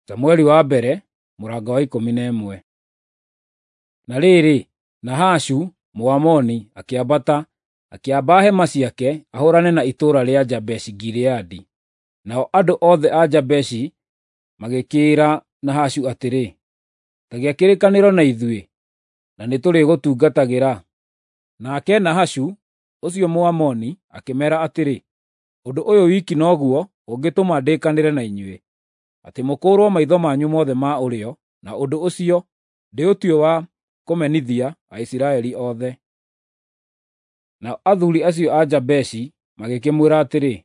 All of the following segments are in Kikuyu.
Samueli wa mbere mũrango wa 11. Na rĩrĩ, Nahashu Mũamoni akĩambata, akĩamba hema ciake ahũũrane na itũũra rĩa Jabeshi-Gileadi. Nao andũ othe a Jabeshi magĩkĩĩra Nahashu atĩrĩ, “Ta gĩa kĩrĩkanĩro na ithuĩ, na nĩtũrĩgũtungatagĩra.” Nake Nahashu ũcio Mũamoni akĩmeera atĩrĩ, “Ũndũ ũyũ wiki noguo ũngĩtũma ndĩkanĩre na inyuĩ, atĩ mũkũũrwo maitho manyu mothe ma ũrĩo, na ũndũ ũcio ndĩũtue wa kũmenithia Aisiraeli othe.” Nao athuuri acio a Jabeshi magĩkĩmwĩra atĩrĩ,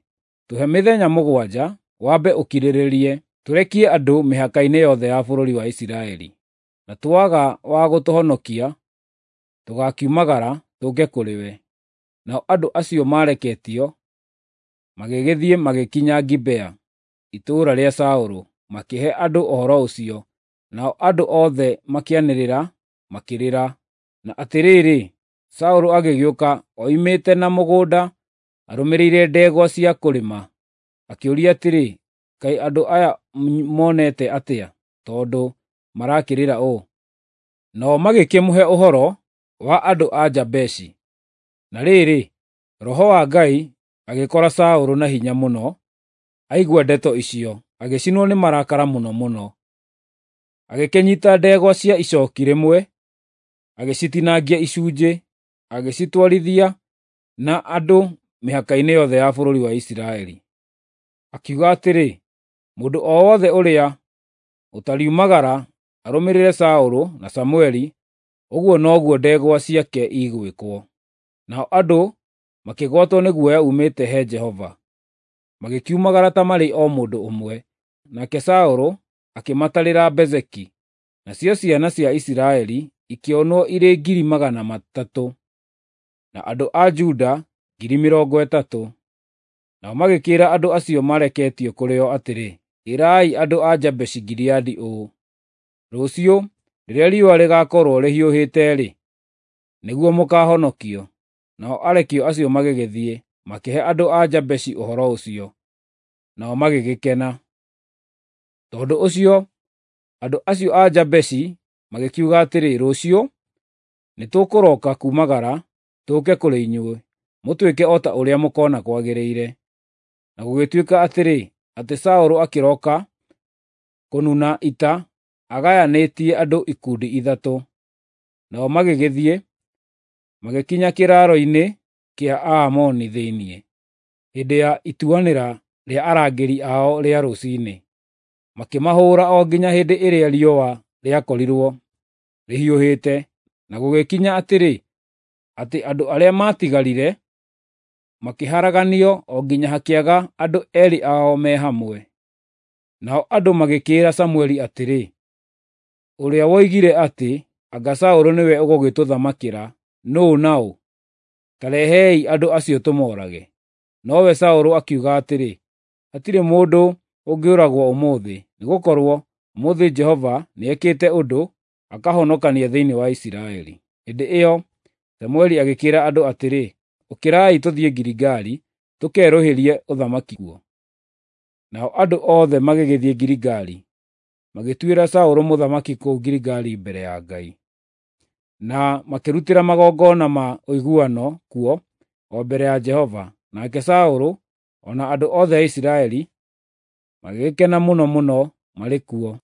“Tũhe mĩthenya 7 wambe ũkirĩrĩrie, tũrekie andũ mĩhaka-inĩ yothe ya bũrũri wa Isiraeli. Na twaga wa gũtũhonokia, tũgaakiumagara tũũke kũrĩ we.” Nao andũ acio maareketio magĩgĩthiĩ magĩkinya Gibea, itũũra rĩa Saũlũ, makĩhe andũ ũhoro ũcio. Nao andũ othe makĩanĩrĩra, makĩrĩra. Na atĩrĩrĩ, Saũlũ agĩgĩũka oimĩte na mũgũnda arũmĩrĩire ndegwa cia kũrĩma. Akĩũria atĩrĩ, “Kaĩ andũ aya monete atĩa, tondũ marakĩrĩra ũũ?” Nao magĩkĩmũhe ũhoro wa andũ a Jabeshi. Na rĩrĩ, Roho wa Ngai agĩkora Saũlũ na hinya mũno aigua ndeto icio, agĩcinwo nĩ marakara mũno mũno. Agĩkĩnyiita ndegwa cia icooki rĩmwe, agĩcitinangia icunjĩ, agĩcitwarithia na andũ mĩhaka-inĩ yothe ya bũrũri wa Isiraeli. Akiuga atĩrĩ, “Mũndũ o wothe ũrĩa ũtariumagara arũmĩrĩre Saũlũ na Samũeli, ũguo noguo ndegwa ciake igwĩkwo.” Nao andũ makĩgwatwo nĩ guoya uumĩte he Jehova, magĩkiumagara ta marĩ o mũndũ ũmwe. Nake Saũlũ akĩmatarĩra Bezeki, nacio ciana cia Isiraeli ikĩonwo irĩ 300,000, na andũ a Juda 30,000. Nao magĩkĩĩra andũ acio maareketio kũrĩ o atĩrĩ, “Ĩrai andũ a Jabeshi-Gileadi ũũ, ‘Rũciũ, rĩrĩa riũa rĩgaakorwo rĩhiũhĩte-rĩ, nĩguo mũkaahonokio.’ ” Nao arekio acio magĩgĩthiĩ, makĩhe andũ a Jabeshi ũhoro ũcio, nao magĩgĩkena. Tondũ ũcio andũ acio a Jabeshi magĩkiuga atĩrĩ, “Rũciũ nĩtũkũroka kuumagara tũũke kũrĩ inyuĩ, mũtwĩke o ta ũrĩa mũkoona kwagĩrĩire.” Na gũgĩtuĩka atĩrĩ, atĩ Saũlũ akĩroka kũnuna ita agayanĩtie andũ ikundi 3. Nao magĩgĩthiĩ, magĩkinya kĩraaro-inĩ kĩa Aamoni thĩinĩ, hĩndĩ ya ituanĩra rĩa arangĩri ao rĩa rũciinĩ, makĩmahũũra o nginya hĩndĩ ĩrĩa riũa rĩakorirwo rĩhiũhĩte. Na gũgĩkinya atĩrĩ, atĩ andũ arĩa maatigarire makĩharaganio o nginya hakĩaga andũ 2 ao me hamwe. Nao andũ magĩkĩĩra Samũeli atĩrĩ, “Ũrĩa woigire atĩ, ‘Anga Saũlũ nĩwe ũgũgĩtũthamakĩra,’ nũũ na ũ? Ta rehei andũ acio tũmoorage.” Nowe Saũlũ akiuga atĩrĩ, “Hatirĩ mũndũ ũngĩũragwo ũmũthĩ, nĩgũkorwo ũmũthĩ Jehova nĩekĩte ũndũ, akahonokania thĩinĩ wa Isiraeli.” Hĩndĩ ĩyo Samũeli agĩkĩĩra andũ atĩrĩ, “Ũkĩrai tũthiĩ Giligali tũkerũhĩrie ũthamaki kuo.” Nao andũ othe magĩgĩthiĩ Giligali, magĩtuĩra Saũlũ mũthamaki kũu Giligali mbere ya Ngai. Na makĩrutĩra magongona ma ũiguano kuo o mbere ya Jehova. Nake Saũlũ o na andũ othe a Isiraeli magĩgĩkena mũno mũno marĩ kuo.